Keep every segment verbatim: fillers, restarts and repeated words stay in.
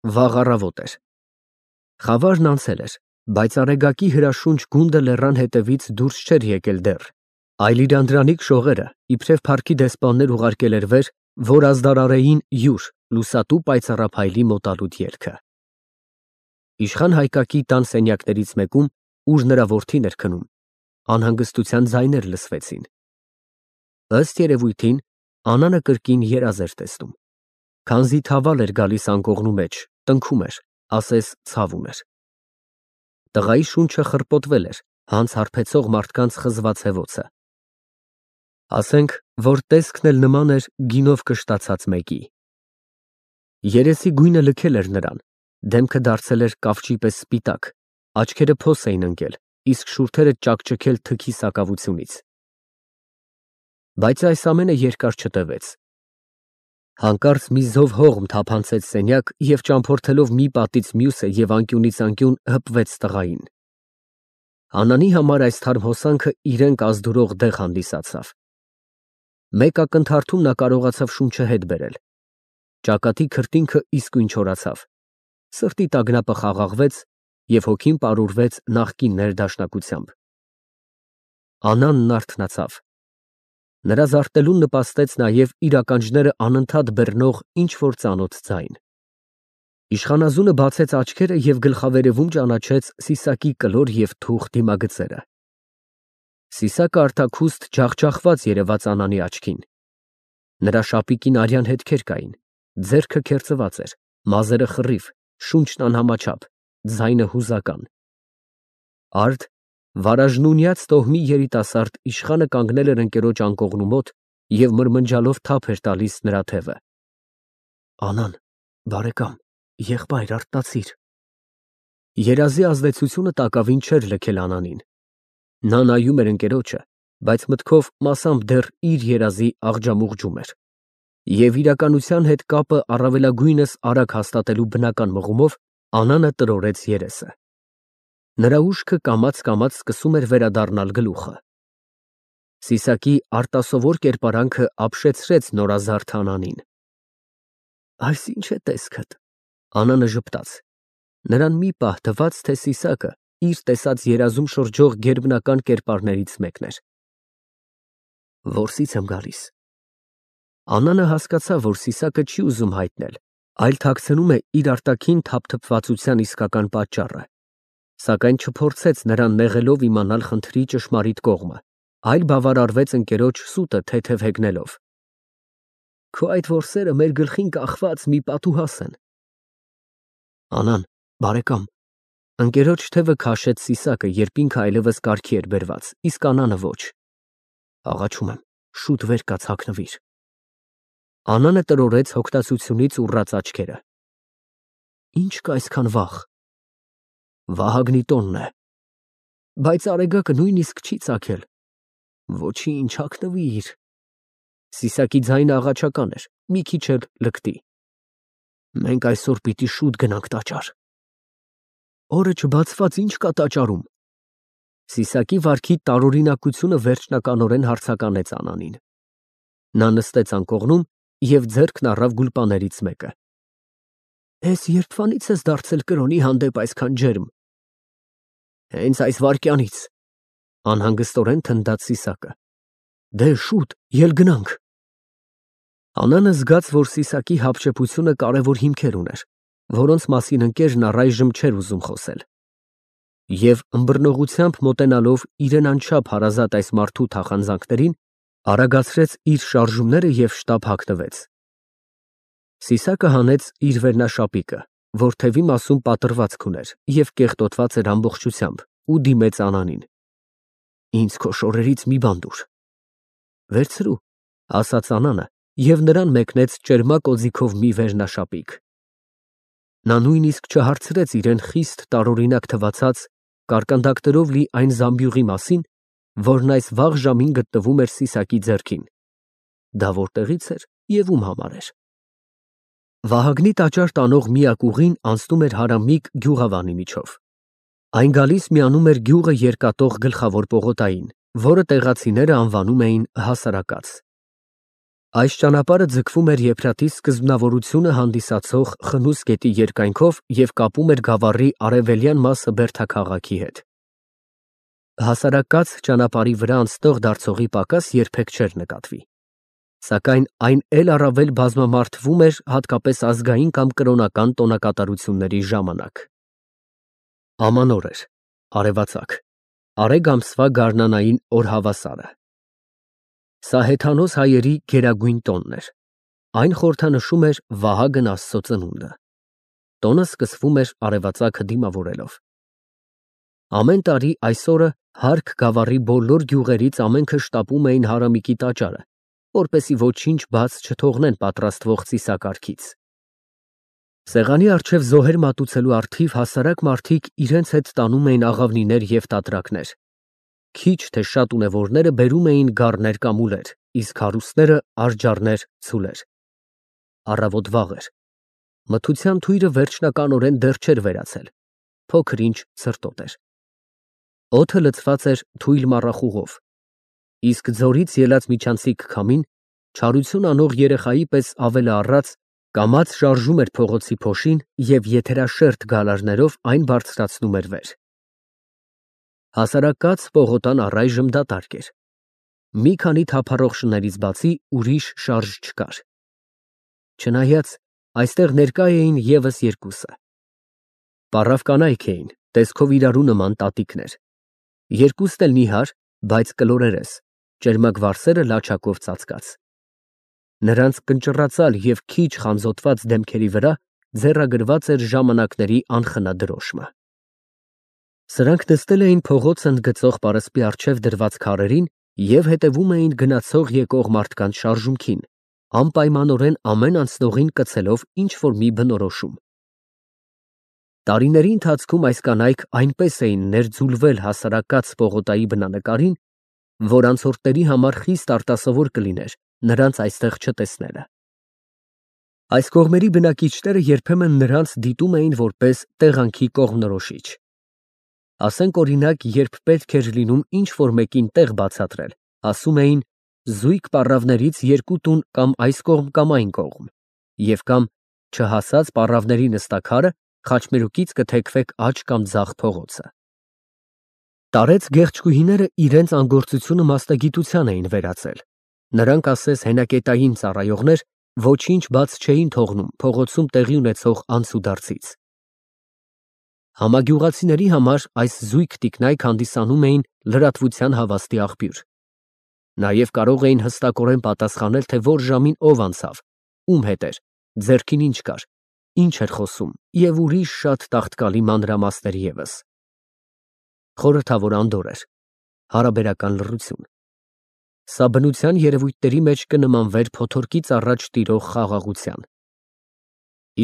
Վաղ առավոտ էր։ Խավարն անցել էր, բայց Արեգակի հրաշունչ գունդը լեռան հետևից դուրս չէր եկել դեռ, այլ իր անդրանիկ շողերը իբրև փառքի դեսպաններ ուղարկել էր վեր, որ ազդարարեին յուր լուսատու պայծառափայլի մոտալուտ ելքը։ Իշխան Հայկակի տան սենյակներից մեկում, ուր նրա որդին էր քնում, անհանգստության ձայներ լսվեցին։ Ըստ երևույթին, Անանը կրկին երազ էր տեսնում։ Քանզի թավալ էր գալիս անկողնու մեջ, տնքում էր, ասես ցավ ուներ։ Տղայի շունչը խռպոտվել էր, հանց հարբեցող մարդկանց խզված հևոցը։ Ասենք, որ տեսքն էլ նման էր գինով կշտացած մեկի։ Երեսի գույնը լքել էր նրան, դեմքը դարձել էր կավճի պես սպիտակ, աչքերը փոս էին ընկել, իսկ շուրթերը ճաքճքել թքի սակավությունից։ Բայց այս ամենը երկար չտևեց։ Հանկարծ մի զով հողմ թափանցեց սենյակ և ճամփորդելով մի պատից մյուսը և անկյունից անկյուն հպվեց տղային։ Անանի համար այս թարմ հոսանքը իրան կազդուրող դեղ հանդիսացավ։ Մեկ ակնթարթում նա կարողացավ շունչը հետ բերել։ Ճակատի քրտինքը իսկույն չորացավ, սրտի տագնապը խաղաղվեց և հոգին պարուրվեց նախկին ներդաշնակությամբ։ Անանն արթնացավ։ Նրա զարթնելուն նպաստեց նաև իր ականջները անընդհատ բռնող ինչ֊որ ծանոթ ձայն։ Իշխանազունը բացեց աչքերը և գլխավերևում ճանաչեց Սիսակի կլոր և թուխ դիմագծերը։ Սիսակը արտաքուստ ջախջախված երևաց Անանի աչքին։ Նրա շապիկին արյան հետքեր կային, ձեռքը քերծված էր, մազերը խռիվ, շունչն անհամաչափ, ձայնը հուզական։ Արդ, վարաժնունյաց տոհմի երիտասարդ իշխանը կանգնել էր ընկերոջ անկողնու մոտ և մրմնջալով թափ էր տալիս նրա թևը։ Անան, բարեկամ, եղբայր, արթնացիր։ Երազի ազդեցությունը տակավին չէր լքել Անանին։ Նա նայում էր ընկերոջը, բայց մտքով մասամբ դեռ իր երազի աղջամուղջում էր։ Եվ իրականության հետ կապը առավելագույնս արագ հաստատելու բնական մղումով Անանը տրորեց երեսը։ Նրա ուշքը կամաց֊կամաց սկսում էր վերադառնալ գլուխը։ Սիսակի արտասովոր կերպարանքը ապշեցրեց նորազարդ Անանին։ Այս ի՞նչ է տեսքդ։ Անանը ժպտաց։ Նրան մի պահ թվաց, թե Սիսակը իր տեսած երազում շրջող գերբնական կերպարներից մեկն էր։ Որսից եմ գալիս։ Անանը հասկացավ, որ Սիսակը չի ուզում հայտնել, այլ թաքցնում է իր արտաքին թափթփվածության իսկական պատճառը, սակայն չփորձեց նրան նեղելով իմանալ խնդրի ճշմարիտ կողմը, այլ բավարարվեց ընկերոջ սուտը թեթև հեգնելով։ Քո այդ որսերը մեր գլխին կախված մի պատուհաս են։ Անան, բարեկամ։ Ընկերոջ թևը քաշեց Սիսակը, երբ ինքը այլևս կարգի էր բերված, իսկ Անանը ոչ։ Աղաչում եմ, շուտ վեր կաց հագնվիր։ Անանը տրորեց հոգնածությունից ուռած աչքերը։ Ինչ կա այսքան վախ։ Վահագնի տոնն է։ Բայց Արեգակը նույնիսկ չի ծագել։ Ոչինչ, հագնվիր։ Սիսակի ձայնը աղաչական էր, մի քիչ էլ լկտի։ Մենք այսօր պիտի շուտ գնանք տաճար։ Օրը չբացված ինչ կա տաճարում։ Սիսակի վարքի տարօրինակությունը վերջնականորեն հարցականեց Անանին։ Նա նստեց անկողնում և ձեռքն առավ գուլպաներից մեկը։ Էս երբվանից ես դարձել կրոնի հանդեպ այսքան ջերմ։ Հենց այս վայրկյանից, անհանգստորեն թնդաց Սիսակը։ Դե շուտ, ել գնանք։ Անանը զգաց, որ Սիսակի հապշեպությունը կարևոր հիմքեր ուներ, որոնց մասին ընկերն առայժմ չէր ուզում խոսել։ Եվ ըմբռնողությամբ մոտենալով իրեն անչափ հարազատ այս մարդու թախանձանքներին, արագացրեց իր շարժումները և շտապ հագնվեց։ Սիսակը հանեց իր վերնաշապիկը, որ թևի մասում պատռվածք ուներ և կեղտոտված էր ամբողջությամբ, ու դիմեց Անանին։ Ինձ քո շորերից մի բան տուր։ Վերցրու, ասաց Անանը և նրան մեկնեց ճերմակ օձիքով մի վերնաշապիկ։ Նա նույնիսկ չհարցրեց իրեն խիստ տարօրինակ թվացած կարկանդակներով լի այն զամբյուղի մասին, որն այս վաղ ժամին գտնվում էր Սիսակի ձեռքին։ Դա որտեղից էր և ում համար էր։ Վահագնի տաճար տանող միակ ուղին անցնում էր հարամիկ գյուղավանի միջով։ Այն գալիս միանում էր գյուղը երկաթող գլխավոր պողոտային, որը տեղացիները անվանում էին հասարակաց։ Այս ճանապարհը ձգվում էր Եփրատի սկզբնավորությունը հանդիսացող խնուս գետի երկայնքով և կապում էր Գավառի արևելյան մասը Բերդաքաղաքի հետ։ Հասարակած ճանապարհի վրա անցնող դարձողի պակաս երբեք չէր նկատվի, սակայն այն էլ առավել բազմամարդվում էր հատկապես ազգային կամ կրոնական տոնակատարությունների ժամանակ։ Ամանոր էր, արևածագ, արեգ ամսվա գարնանային օրհավասարը։ Սա հեթանոս հայերի գերագույն տոնն էր, այն խորհրդանշում էր Վահագն Աստծո ծնունդը։ Տոնը սկսվում էր արևածագը դիմավորելով։ Ամեն տարի այս օրը Հարկ Գավառի բոլոր գյուղերից ամենքը շտապում էին Հարամիկի տաճարը, որպեսզի ոչինչ բաց չթողնեն պատրաստվող ծիսակարգից։ Սեղանի առջև զոհեր մատուցելու առթիվ հասարակ մարդիկ իրենց հետ տանում էին աղավնիներ և տատրակներ։ Քիչ թե շատ ունևորները բերում էին գառներ կամ ուլեր, իսկ հարուստները արջառներ, ցուլեր։ Առավոտ վաղ էր։ Մթության թույրը վերջնականորեն դեռ չէր վերացել, փոքր-ինչ ցրտոտ էր։ Օդը լցված էր թույլ մառախուղով, իսկ ձորից ելած միջանցիկ քամին, չարություն անող երեխայի պես ավելաառած, կամաց շարժում էր փողոցի փոշին և եթերաշերտ գալարներով այն բարձրացնում էր վեր։ Հասարակած պողոտան առայժմ դատարկ էր։ Մի քանի թափառող շներից բացի ուրիշ շարժ չկար։ Չնայած այստեղ ներկա էին ևս երկուսը։ Պառավ կանայք էին, տեսքով իրարու նման տատիկներ։ Երկուսն էլ նիհար, բայց կլորերես, ճերմակ վարսերը լաչակով ծածկած։ Նրանց կնճռացալ և քիչ խանձոտված դեմքերի վրա ձեռագրված էր ժամանակների անխնա դրոշմը։ Սրանք նստել էին փողոց ընդգծող պարսպի առջև դրված քարերին և հետևում էին գնացող եկող մարդկանց շարժումքին, անպայմանորեն ամեն անցնողին կցելով ինչ֊որ մի բնորոշում։ Տարիների ընթացքում այս կանայք այնպես էին ներձուլվել հասարակած պողոտայի բնանկարին, որ անցորդների համար խիստ արտասովոր կլիներ նրանց այստեղ չտեսնելը։ Այս կողմերի բնակիչները երբեմն նրանց դիտում էին որպես տեղանքի կողմնորոշիչ։ Ասենք օրինակ, երբ պետք էր լինում ինչ-որ մեկին տեղ բացատրել, ասում էին զույգ պառավներից երկու տուն կամ այս կողմ կամ այն կողմ, և կամ չհասած պառավների նստաքարը խաչմերուկից կթեքվեք աջ կամ ձախ փողոցը։ Տարեց գեղեցկուհիները իրենց անգործությունը մասնագիտության էին վերածել։ Նրանք ասես հենակետային ծառայողներ ոչինչ բաց չէին թողնում փողոցում տեղի ունեցող անցուդարձից։ Համագյուղացիների համար այս զույգ տիկնայք հանդիսանում էին լրատվության հավաստի աղբյուր։ Նաև կարող էին հստակորեն պատասխանել, թե որ ժամին ով անցավ, ում հետ էր, ձեռքին ինչ կար, ինչ էր խոսում և ուրիշ շատ տաղտկալի մանրամասներ ևս։ Խորհրդավոր անդորր էր, հարաբերական լռություն։ Սա բնության երևույթների մեջ կնմանվեր փոթորկից առաջ տիրող խաղաղության։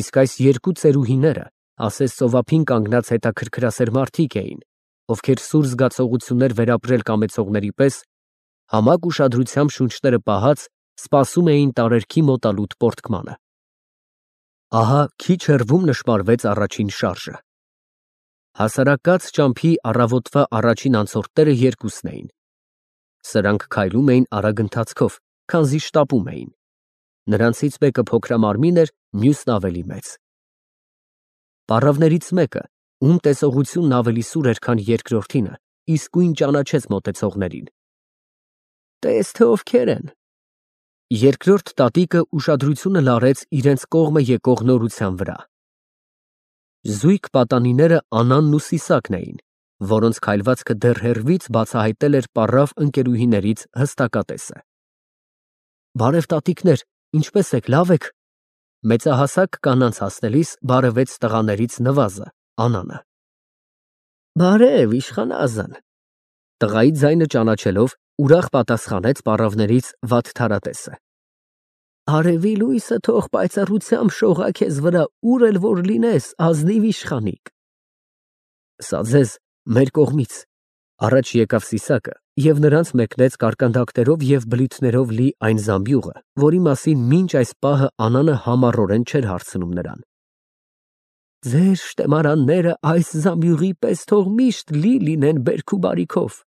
Իսկ այս երկու ծերուհիները ասես ծովափին կանգնած հետաքրքրասեր մարդիկ էին, ովքեր սուր զգացողություններ վերապրել կամեցողների պես, համակ ուշադրությամբ շունչները պահած, սպասում էին տարերքի մոտալուտ պոռթկմանը։ Ահա քիչ հեռվում նշմարվեց առաջին շարժը։ Հասարակած ճամփի առավոտվա առաջին անցորդները երկուսն էին։ Սրանք քայլում էին արագ ընթացքով, քանզի շտապում էին։ Նրանցից մեկը փոքրամարմին էր, մյուսն ավելի մեծ։ Պառավներից մեկը, ում տեսողությունն ավելի սուր էր, քան երկրորդինը, իսկույն ճանաչեց մոտեցողներին։ Տես թե ովքեր են։ Երկրորդ տատիկը ուշադրությունը լարեց իրենց կողմը եկող նորության վրա։ Զույգ պատանիները Անանն ու Սիսակն էին, որոնց քայլվածքը դեռ հեռվից բացահայտել էր պառավ ընկերուհիներից հստակատեսը։ Բարև տատիկներ, ինչպե՞ս եք, լավ եք։ Մեծահասակ կանանց հասնելիս բարևեց տղաներից նվազը, Անանը։ Բարև, իշխանազան։ Տղայի ձայնը ճանաչելով, ուրախ պատասխանեց պառավներից Վատթարատեսը։ Արևի լույսը թող պայծառությամբ շողա քեզ վրա, ուր էլ որ լինես, ազնիվ իշխանիկ։ Սա ձեզ մեր կողմից, առաջ եկավ Սիսակը և նրանց մեկնեց կարկանդակներով և բլիթներով լի այն զամբյուղը, որի մասին մինչ այս պահը Անանը համառորեն չէր հարցնում նրան։ Ձեր շտեմարանները այս զամբյուղի պես թող միշտ լի լինեն բերք ու բարիքով,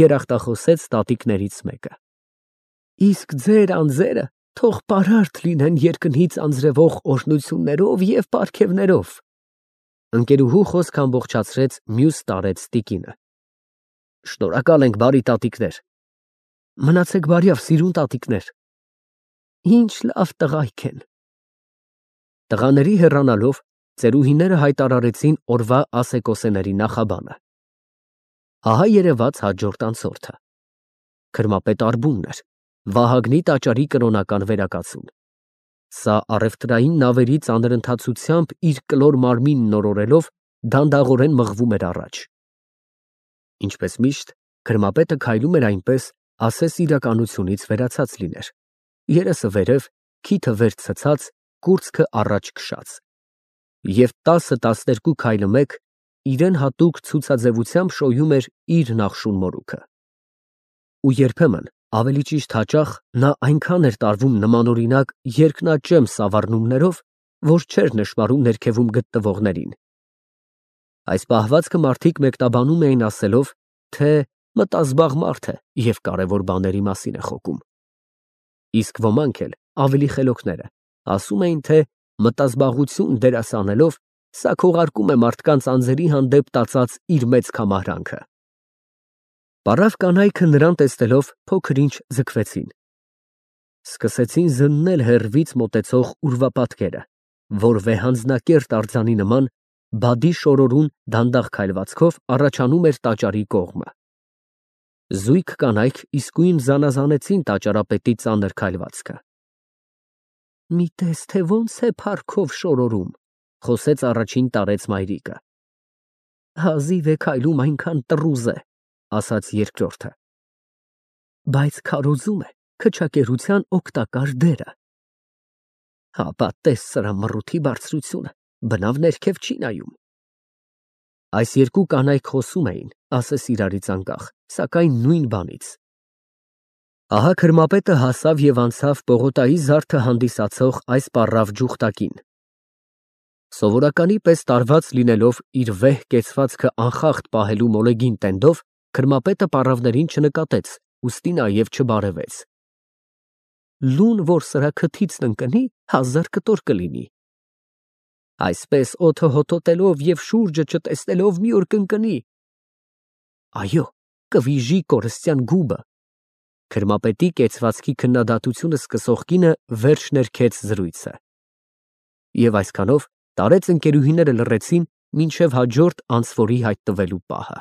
երախտախոսեց տատիկներից մեկը։ Իսկ ձեր անձերը թող պարարտ լինեն երկնից անձրևող օրհնություններով և պարգևներով։ Ընկերուհու խոսքը ամբողջացրեց մյուս տարեց տիկինը։ Շնորհակալ ենք, բարի տատիկներ։ Մնացեք բարյավ, սիրուն տատիկներ։ Ինչ լավ տղայք են։ Տղաների հեռանալով ծերուհիները հայտարարեցին օրվա ասեկոսեների նախաբանը։ Ահա երևաց հաջորդ անցորդը։ Քրմապետ Արբունն էր, Վահագնի տաճարի կրոնական վերակացուն։ Սա առևտրային նավերի ծանր ընթացությամբ իր կլոր մարմինն օրորելով դանդաղորեն մղվում էր առաջ։ Ինչպես միշտ, քրմապետը քայլում էր այնպես, ասես իրականությունից վերացած լիներ, երեսը վերև, քիթը վեր ցցած, կուրծքը առաջ քշած։ Եվ տասը֊տասներկու քայլը մեկ իրեն հատուկ ցուցաձևությամբ շոյում էր իր նախշուն մորուքը։ Ու երբեմն, ավելի ճիշտ հաճախ, նա այնքան էր տարվում նմանօրինակ երկնաճեմ սավառնումներով, որ չէր նշմարում ներքևում գտնվողներին։ Այս պահվածքը մարդիկ մեկնաբանում էին ասելով, թե մտազբաղ մարդ է և կարևոր բաների մասին է խոսում։ Իսկ ոմանք էլ, ավելի խելոքները, ասում էին, թե մտազբաղություն դերասանելով, սա քողարկում է մարդկանց անձերի հանդեպ տածած իր մեծ քամահրանքը։ Պարավ կանայքը նրան տեսնելով փոքր-ինչ ձգվեցին։ Սկսեցին զննել հեռվից մոտեցող ուրվապատկերը, որ վեհանձնակերտ արձանի նման բադի շորորուն դանդաղ քայլվածքով առաջանում էր տաճարի կողմը։ Զույգ կանայք իսկույն զանազանեցին տաճարապետի ծանր քայլվածքը։ Մի տես, թե ոնց է փառքով շորորում, խոսեց առաջին տարեց մայրիկը։ Հազիվ է քայլում, այնքան տռուզ է, ասաց երկրորդը։ Բայց քարոզում է քչակերության օգտակար դերը։ Հապա տես սրա մռութի բարձրությունը, բնավ ներքև չի նայում։ Այս երկու կանայք խոսում էին, ասես իրարից անկախ, սակայն նույն բանից։ Ահա քրմապետը հասավ և անցավ Պողոտայի զարդը հանդիսացող այս պառավ ջուխտակին։ Սովորականի պես տարված լինելով իր վեհ կեցվածքը անխախտ պահելու մոլեգին տենդով, քրմապետը պառավներին չնկատեց, ուստի նաև չբարևեց։ Լուն, որ սրա քթիցն ընկնի, հազար կտոր կլինի։ Այսպես օդը հոտոտելով և շուրջը չտեսնելով մի օր կընկնի։ Այո, կվիժի կորստյան գուբը։ Քրմապետի կեցվածքի քննադատությունը սկսող կինը վերջ ներքեց զրույցը։ Եվ այսքանով տարեց ընկերուհիները լռեցին մինչև հաջորդ անցվորի հայտնվելու պահը։